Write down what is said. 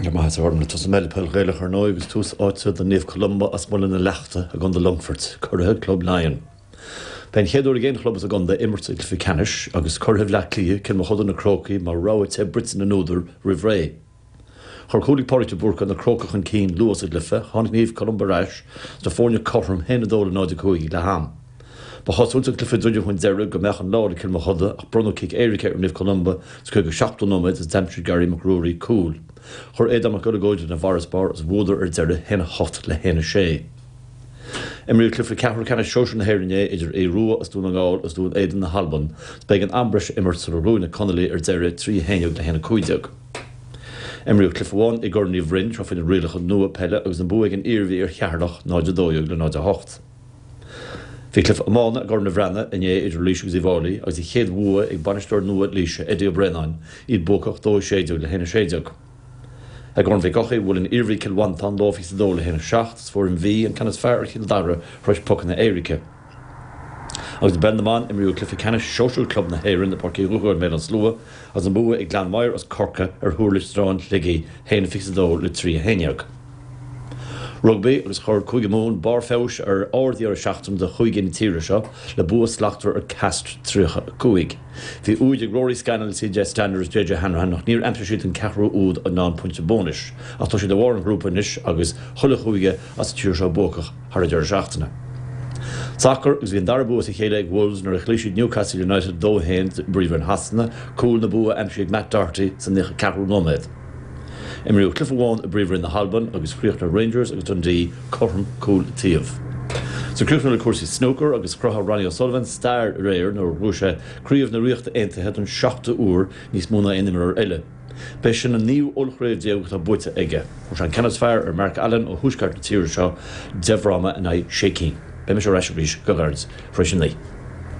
Go raibh maith agat a Ghormlaith. Tosóidh mé le peil Ghaelach ar ndóigh agus tús áite do Naomh Columba as Muileann na Leachta i gContae Longfoirt, curaithe Club Laighean. B'é an chéad uair ag aon chlub as an gcontae imirt i gcluiche ceannais agus curaithe Bhleá Cliath, Cill Mochuda, Na Crócaigh mar rogha te bruite na n-údar roimh ré. Chuir cúl ag Pádraig de Búrca na Crócaigh chun cinn luath sa gcluiche, tháinig Naomh Columba ar ais is na foirne cothrom 1-2 le 0-5 ag leath am. Ba chosúil is an cluiche ag druidim chun deiridh go mbeadh an lá le Cill Mochuda ach bronnadh cic éirice ar Naomh Columba sa 57ú nóiméad is d'aimsigh Gary Mac Ruairí cúl. Chuir Aodán Mac Uileagóid lena bhfarasbarr is bhuadar ar deireadh 1-8 le 1-6. Imríodh cluiche ceathrú ceannais sóisir na hÉireann inné idir Aodh Rua as Dún na nGall agus Dún Éideann na hAlban is b'éigean am breise a imirt sular bhuaigh na Conallaigh ar deireadh 3 11 le 1 15. Imríodh cluiche amháin i gCorn Uí Bhroin seo faoi na rialacha nua peile agus an bua ag an Iarmhí ar Cheatharlach 0 12 le 0 8. Bhí cluiche iomána i gCorn an Bhreathnaigh inné idir Laois agus Uíbh Fháilí agus an chéad bhua ag bainisteoir nua Laoise, Eddie Ó Braonáin, iad buacach 2 16 le 1 16. I gCorn Mhic Eochaidh, bhuail an Iarmhí Cill Mhantáin 2 22 le 1 7 is fuair an Mhí an ceann is fearr ar Chill Dara tar éis pocanna éirice. Agus i bpeil na mban, imríodh cluiche ceannais sóisir club na hÉireann i bPáirc Uí Dhúchogaidh i mBéal an Slua agus an bua ag Gleann Maghair as Corcaigh ar Thuar Loistreáin, Shligigh, 1 22 le 3 11. Rugbaí agus chuir Cúige Mumhan barr feabhais ar ard-dheireadh seachtaine do chúigí na tíre seo le bua slachtmhar ar Castres 35. Bhí úid ag Rory Scannell, CJ Stander is JJ Hanrahan ach níor aimsigh siad an ceathrú úd ná an pointe bónais. Ach tá siad i bharr an ghrúpa anois agus chuile chúige as an tír seo buacach thar an deireadh seachtaine. Sacar agus bhí an dara bua as a chéile ag Wolves nuair a chloígh siad Newcastle United 2-1 i bPríomhroinn Shasana, cúl na bua aimsithe ag Matt Doherty sa 94ú nóiméad. Imríodh cluiche amháin i bPríomhroinn na hAlban agus chríochnaigh Rangers agus Dundee cothrom cúl an taobh. So críochnú le cúrsaí snúcair agus chruthaigh Ronnie O'Sullivan stair aréir nuair a bhuaigh sé Craobh na Ríochta Aontaithe don seachtú huair, níos mó ná aon imreoir eile. B'é sin an naoú ollchraobh déag atá buaite aige. Fuair sé an ceann is fearr ar Mark Allen ó thuaisceart na tíre seo, 10 bhfráma in aghaidh sé cinn. Beidh mise ar ais arís go gairid tar éis a 9.